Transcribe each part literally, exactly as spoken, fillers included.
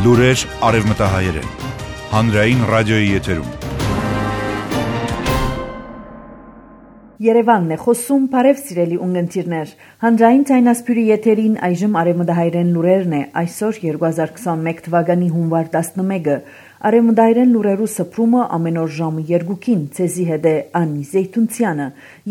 Լուրեր արևմտահայերեն։ Հանրային ռադիոյի եթերում։ Երևանն է խոսում, բարև սիրելի ունգընտիրներ։ Հանրային ցայնասպյուրի եթերին այժմ արևմտահայերեն լուրերն է, այսօր երկու հազար քսանմեկ թվականի հունվար տասնմեկը։ Արևմտահայերեն լուրերու սփռումը ամեն օր ժամը երկուքին, ցեզի հետ է Անի Զեյթունցյանը,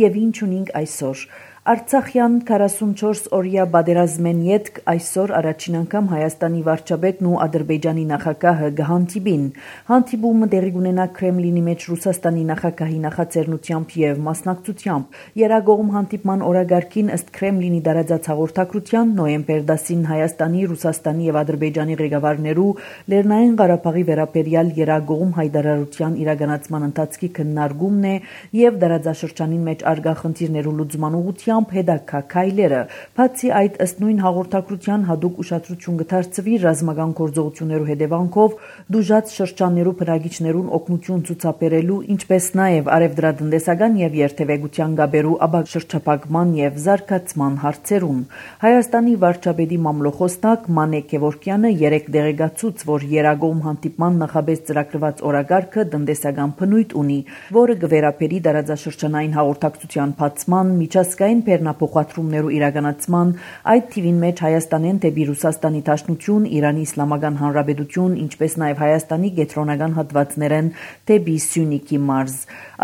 եւ ինչ ունենք այսօր։ Արցախյան քառասունչորս օրյա պատերազմեն ետք այսօր առաջին անգամ Հայաստանի վարչապետն ու Ադրբեջանի նախագահը կհանդիպին։ Հանդիպումը տեղի կունենա Կրեմլինի մեջ Ռուսաստանի նախագահի նախաձեռնությամբ եւ մասնակցությամբ։ Երագողմ հանդիպման օրագարկին ըստ Կրեմլինի դարաձած հաղորդակցության նոյեմբեր դասին Հայաստանի, Ռուսաստանի եւ Ադրբեջանի ղեկավարներու Լեռնային Ղարաբաղի վերաբերյալ երագողմ հայտարարության իրականացման ընթացքի քննարկումն է եւ դարաձաշրջանին մեջ արգա խնդիրներու լուծման ուղղությամբ հետագա քայլերը։ Բացի այդ, ըստ նույն հաղորդակցության հատուկ ուշադրություն կդարձվի ռազմական գործողություններու հետևանքով դուժած շրջաններու բնակիչներուն օգնություն ցուցաբերելու, ինչպես նաև արևդրատնտեսական եւ երթևեկության գաբերու աբակ շրջափակման եւ զարգացման հարցերուն։ Հայաստանի վարչապետի մամլոխոստակ Մանե Գևորգյանը երեք դեղեկացուց, որ երագողմ հանդիպման նախաբես ծրագրված օրագարկը տնտեսական բնույթ ունի, որը կվերապերի դարաձաշրջանային հաղորդակցության բացման, միջազգային բեռնափոխադրումներու իրականացման, այդ թիվին մեջ Հայաստանեն դեպի Ռուսաստանի Դաշնություն, Իրանի Իսլամական Հանրապետություն, ինչպես նաև Հայաստանի կենտրոնական հատվածներեն դեպի Սյունիքի մարզ։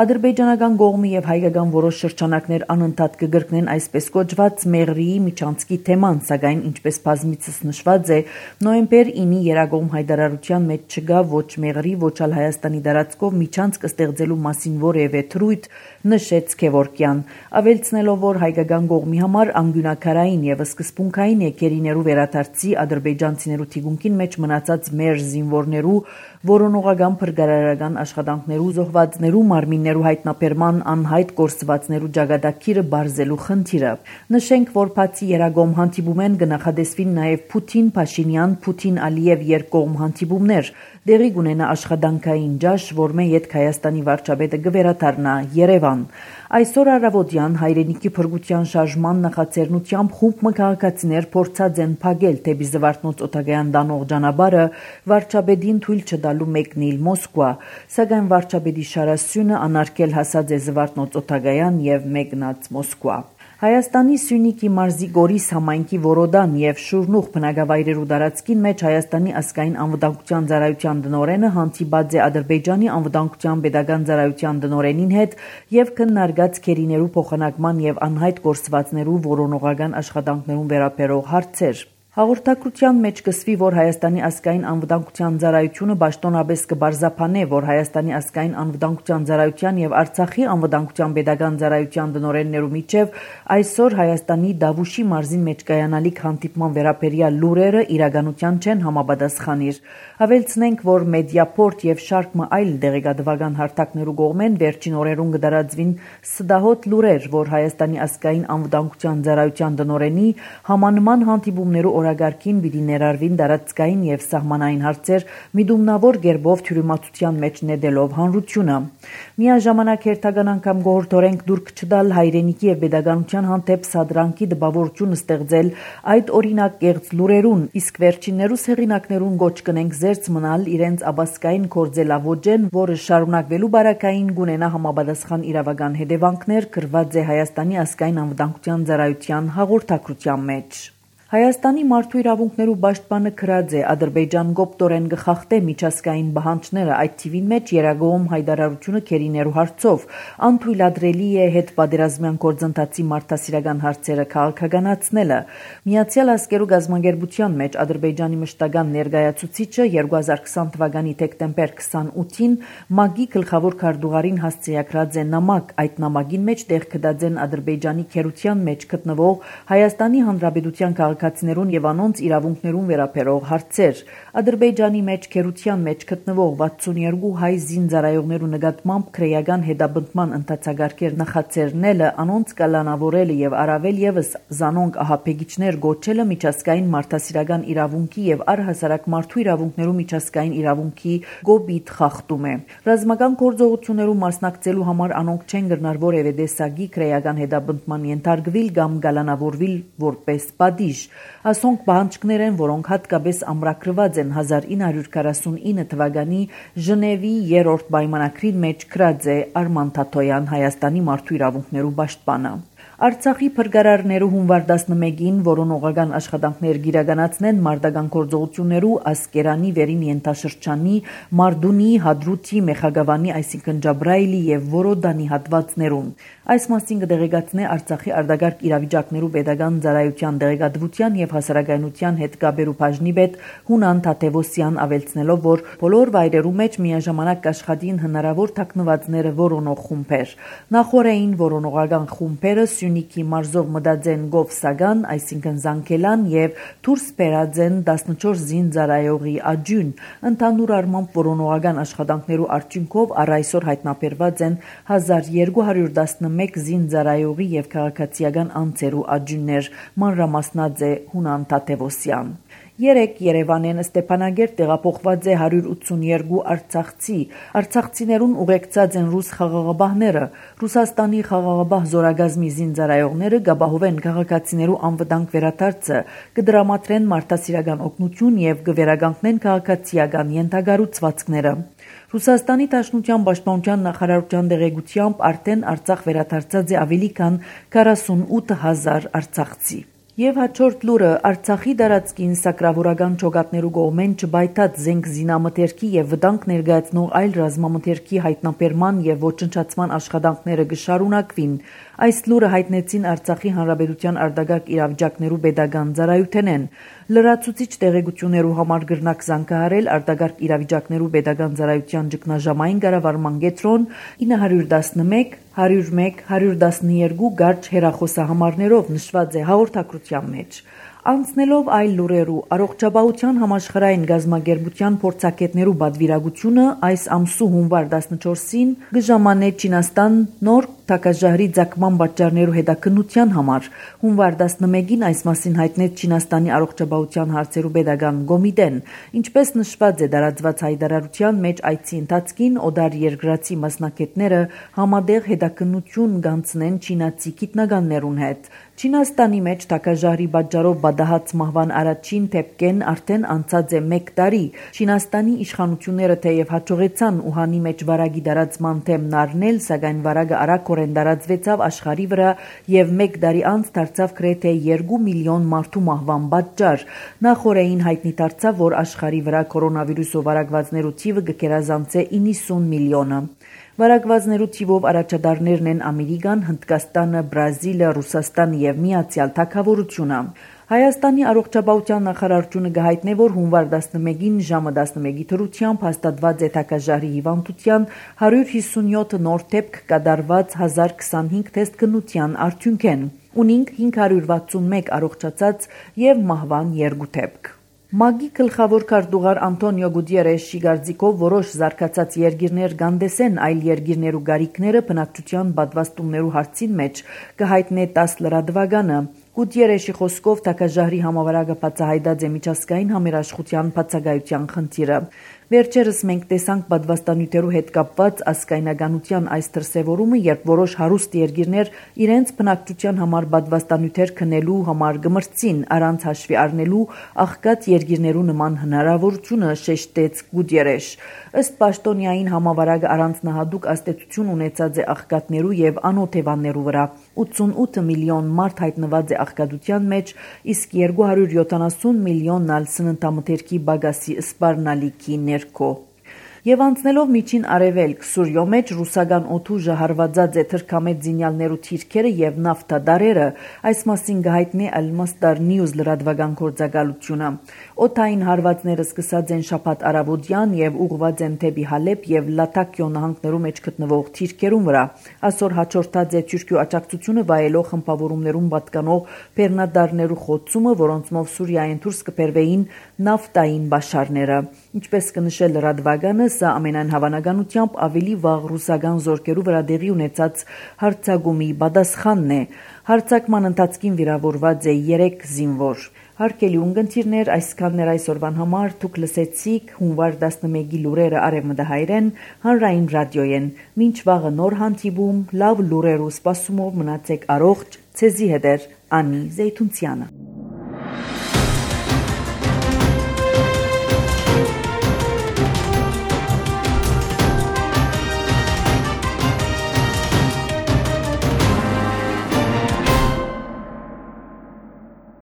Ադրբեջանական կողմը եւ հայկական որոշ շրջանակներ անընդհատ կգրկնեն այսպես կոչված Մեղրիի միջանցքի թեման, սակայն ինչպես բազմիցս նշված է, նոյեմբեր ինի երագողմ հայտարարության մեջ չկա ոչ Մեղրի, ոչ ալ Հայաստանի դարածքով միջանցք ստեղծելու մասին որևէ թրույթ, նշեց Գևորգյան, ավելցնելով, որ հայկական կողմի համար անգյունակարային եւ սկզբունքային է գերիներու վերադարձի ադրբեջանցիներու թիկունքին մեջ մնացած մեր զինվորներու որոնողական փրկարարական աշխատանքներու զոհվածներու մարմիններու հայտնաբերման անհայտ կորսվածներու ճակատագիրը բարձելու խնդիրը։ Նշենք, որ բացի երագողմ հանդիպումեն կնախադեсվին նաև Պուտին, Փաշինյան, Պուտին-Ալիև երկկողմ հանդիպումներ, դեղի կունենա աշխատանքային ջաշ, որմե յետք Հայաստանի վարչապետը կվերադառնա Երևան։ Այսօր առավոտյան հայրենիքի փրկության շարժման նախաձեռնությամբ խումբ մգաղակացիներ փորձած են փակել դեպի Զվարթնոց օտագայան տանող ճանապարհը վարչապետին թույլ չտալու մեկնել Մոսկվա, սակայն վարչապետի շարասյունը անարգել հասած է Զվարթնոց օտագայան եւ մեկնած Մոսկվա։ Հայաստանի Սյունիքի մարզի Գորիս համայնքի Որոդան եւ Շուրնուղ բնակավայրերու տարածքին մեջ Հայաստանի ազգային անվտանգության ծառայության տնօրենը հանդիպած է Ադրբեջանի անվտանգության պետական ծառայության տնօրենին հետ եւ քննարկած քերիներու փոխանակման եւ անհայտ կորսվածներու որոնողական աշխատանքներուն վերաբերող հարցեր։ Հաղորդակցության մեջ կսվի, որ Հայաստանի ազգային անվտանգության ծառայությունը պաշտոնապես կբարձրապանե, որ Հայաստանի ազգային անվտանգության ծառայության եւ Արցախի անվտանգության պետական ծառայության տնօրեններու միջև այսօր Հայաստանի Դավուշի մարզին մեջ կայանալիք հանդիպման վերաբերյալ լուրերը իրականության չեն համապատասխանիր։ Ավելցնենք, որ Մեդիապորտ եւ շարք մը այլ դեղեկատվական հարթակներու կողմեն վերջին օրերուն կդարածվին սդահոտ լուրեր, որ Հայաստանի ազգային անվտանգության ծառայության տնօրենի համանման հանդիպումներու օրագարկին պիտի ներառվին տարածքային եւ սահմանային հարցեր միդումնավոր գերբով թյուրիմացության մեջ նետելով հանրությունը։ Միաժամանակ հերթական անգամ գողորթորենք դուրք չտալ հայրենիքի եւ pedagogical հանդեպ սադրանքի դպավորություն ստեղծել այդ օրինակ կեղծ լուրերուն, իսկ վերջիններուս հեղինակներուն գոչ կնենք զերծ մնալ իրենց աբասկային կորձելավոճեն, որը շարունակվելու բարակային գունենա համապատասխան իրավական հետևանքներ գրված է Հայաստանի ազգային անվտանգության ծառայության հաղորդակցության մեջ։ Հայաստանի մարդու իրավունքներու պաշտպանը գրած է Ադրբեջան գոպտորեն գխախտե միջազգային բանջները այդ թիվին մեջ երագողմ հայտարարությունը քերիներու հարցով անթույլատրելի է հետ պատերազմյան գործընթացի մարդասիրական հարցերը քաղաքականացնելը։ Միացյալ Ազգերու գազագերբության մեջ Ադրբեջանի մշտական ներկայացուցիչը երկու հազար քսան թվականի դեկտեմբեր քսանութին ՄԱԳ-ի գլխավոր քարտուղարին հասցեագրած է նամակ, այդ նամակին մեջ տեղ կդած են Ադրբեջանի քերության մեջ գտնվող Հայաստանի Հանրապետության քաղաքացիներուն եւ անոնց իրավունքներուն վերաբերող հարցեր։ Ադրբեջանի մեջ քերության մեջ գտնվող վաթսունյերկու հայ զինծառայողներու նկատմամբ քրեական հետապնդման ընթացագարկեր նախաձեռնելը, անոնց կալանավորելը եւ առավել եւս զանոնք ահաբեկիչներ գոչելը միջազգային մարդասիրական իրավունքի եւ առհասարակ մարդու իրավունքներու միջազգային իրավունքի գոբիթ խախտում է։ Ռազմական գործողություններու մասնակցելու համար անոնք չեն գտնար որևէ տեսակի քրեական հետապնդման ենթարկվել կամ կալանավորվել որպես պատիժ։ Ասոնք պահանջքներ են, որոնք հատկապես ամրագրված են հազար ինը հարյուր քառասունինը թվականի Ժնևի երրորդ պայմանագրին մեջ գրած է Արման Թաթոյան, Հայաստանի մարդու իրավունքներու պաշտպանը։ Արցախի փրկարարներու հունվար տասնմեկին որոնողական աշխատանքներ գիրականացնեն մարտական գործողություններու Ասկերանի վերին ենթաշրջանի Մարդունի, Հադրութի, Մեխագավանի, այսինքն Ջաբրայիլի եւ Որոդանի հատվածներուն։ Այս մասին կդեղեկացնե Արցախի արտագաղթ իրավիճակներու պետական ծառայության դեղեկատվության եւ հասարակայնության հետ կապերու բաժնի պետ Հունան Թաթևոսյան ավելցնելով, որ բոլոր վայրերու մեջ միաժամանակ կաշխատին հնարավոր թաքնվածները որոնող խումբեր։ Նախորդային որոնողական խումբերը Սյունիքի մարզով մտածեն Գովսագան, այսինքն Զանգելան եւ դուրս բերածեն տասնչորս զինծառայողի աջուն։ Ընդհանուր առմամբ որոնողական աշխատանքներու արդյունքով առ այսօր հայտնաբերված են հազար երկու հարյուր տասնմեկ զինծառայողի եւ քաղաքացիական անձերու աջուններ, մանրամասնած է Հունան Թաթևոսյան։ Երեք Երևանեն Ստեփանագերտ տեղափոխված է հարյուր ութսունյոթ արցախցի։ Արցախցիներուն ուղեկցած են ռուս խաղաղապահները։ Ռուսաստանի խաղաղապահ զորագազմի զինծառայողները գաբահովեն քաղաքացիներու անվտանգ վերադարձը, կդրամատրեն մարդասիրական օգնություն եւ կվերականգնեն քաղաքացիական ենթագառուցվածքները։ Ռուսաստանի Դաշնության պաշտպանության նախարարության դեղեկությամբ արդեն Արցախ վերադարձած է ավելի քան քառասունութ հազար արցախցի։ Եվ հաջորդ լուրը Արցախի տարածքին սակրավորական ջոկատներու կողմեն չբայթած զենք զինամթերքի եւ վտանգ ներկայացնող այլ ռազմամթերքի հայտնաբերման եւ ոչնչացման աշխատանքները կշարունակվին։ Այս լուրը հայտնեցին Արցախի Հանրապետության արտագաղթ իրավիճակներու պետական ծառայությունեն։ Լրացուցիչ տեղեկություններու համար գրնակ զանգահարել արտագաղթ իրավիճակներու պետական ծառայության ճգնաժամային կառավարման կենտրոն ինը հարյուր տասնմեկ հարյուր մեկ հարյուր տասնյոթ գարչ հեռախոսահամարներով նշված է հաղորդակցության մեջ։ Անցնելով այլ լուրերու առողջապահության համաշխարհային գազագերբության փորձագետներու բادرվիրագությունը այս ամսու հունվար տասնչորսին գժամանե Չինաստան նոր թակաժահրի ցակման պատճառներու հետաքննության համար։ Հունվար տասնմեկին այս մասին հայտնեց Չինաստանի առողջապահության հարցերու պետական կոմիտեն։ Ինչպես նշված է տարածված հայտարարության մեջ, այցի ընթացքին օդար երկրացի մասնակիցները համատեղ հետաքննություն կանցնեն չինացի գիտնականներուն հետ։ Չինաստանի մեջ թակաժահրի պատճառով բադահած մահվան առաջին դեպքեն արդեն անցած է մեկ տարի։ Չինաստանի իշխանությունները թեև հաջողեցան Ուհանի մեջ վարագի տարածման թեմն առնել, սակայն վարագը արագորեն տարածվեցավ աշխարհի վրա եւ մեկ տարի անց դարձավ գրեթե երկու միլիոն մարդու մահվան պատճառ։ Նախորդին հայտնի դարձավ, որ աշխարհի վրա կորոնավիրուսով վարակվածներու թիվը կգերազանցե իննսուն միլիոնը։ Վարակվածներու թիվով առաջադարներն են Ամերիկան, Հնդկաստանը, Բրազիլը, Ռուսաստանը եւ Միացյալ Թագավորությունը։ Հայաստանի առողջապահության նախարարությունը կհայտնի, որ հունվար տասնմեկին ժամը տասնմեկի դրությամբ հաստատված է թակաժահրի հիվանդության հարյուր հիսունյոթ նոր դեպք կատարված հազար քսանհինգ թեստ քննության արդյունքեն։ Ունինք հինգ հարյուր վաթսունմեկ առողջացած եւ մահվան երկու դեպք։ ՄԱԳ-ի գլխավոր քարտուղար Անտոնիո Գուտիերեշի կարծիքով որոշ զարգացած երկիրներ կանդեսեն այլ երկիրներու գարիքները բնակչության պատվաստումներու հարցին մեջ կհայտնե տաս լրատվականը։ Գուտիերեշի խոսքով թակաժահրի համավարակը բացահայտած է միջազգային համերաշխության բացակայության խնդիրը։ Վերջերս մենք տեսանք պատվաստանյութերու հետ կապված ասկայնականության այս դրսևորումը, երբ որոշ հարուստ երկիրներ իրենց բնակչության համար պատվաստանյութեր քննելու համար գմրցին առանց հաշվի առնելու աղքատ երկիրներու նման հնարավորությունը, շեշտեց Գուտիերեշ։ Ըստ պաշտոնյային համավարակը առանձնահատուկ ազդեցություն ունեցած է աղքատներու եւ անօթևաններու վրա։ ութսունութ միլիոն մարդ հայտնված է աղքատության մեջ, իսկ երկու հարյուր յոթանասուն միլիոնն ալ սննդամթերքի բագասի սպառնալիքի ներքո։ Եվ անցնելով միջին արևելք Սուրյո մեջ ռուսական օդուժը հարվածած է թրքամետ զինյալներու թիրքերը եւ նավթադարերը, այս մասին կհայտնի Al-Masdar News լրատվական գործակալությունը։ Օդային հարվածները սկսած են շաբաթ առավոտյան եւ ուղղված են դեպի Հալեբ եւ Լատակիո նահանգներու մեջ գտնվող թիրքերուն վրա։ Այսօր հաջորդած է Թուրքիո աջակցությունը վայելող խմբավորումներուն պատկանող բեռնադարներու խոցումը, որոնցմով Սուրիայեն դուրս կբերվեին նավթային բաշարները։ Ինչպես կնշել լրատվականը, սա ամենայն հավանականությամբ ավելի վաղ ռուսական զորքերու վրա տեղի ունեցած հարձակումի պատասխանն է։ Հարձակման ընթացքին վիրավորված է երեք զինվոր։ Հարգելի ունկնդիրներ, այսքանն էր այսօրվան համար, դուք լսեցիք հունվար տասնմեկի լուրերը Արևմտահայերեն հանրային ռադիոյեն։ Մինչ վաղը նոր հանդիպում, լավ լուրերու սպասումով մնացեք առողջ, ցեզի հետ է Անի Զեյթունցյանը։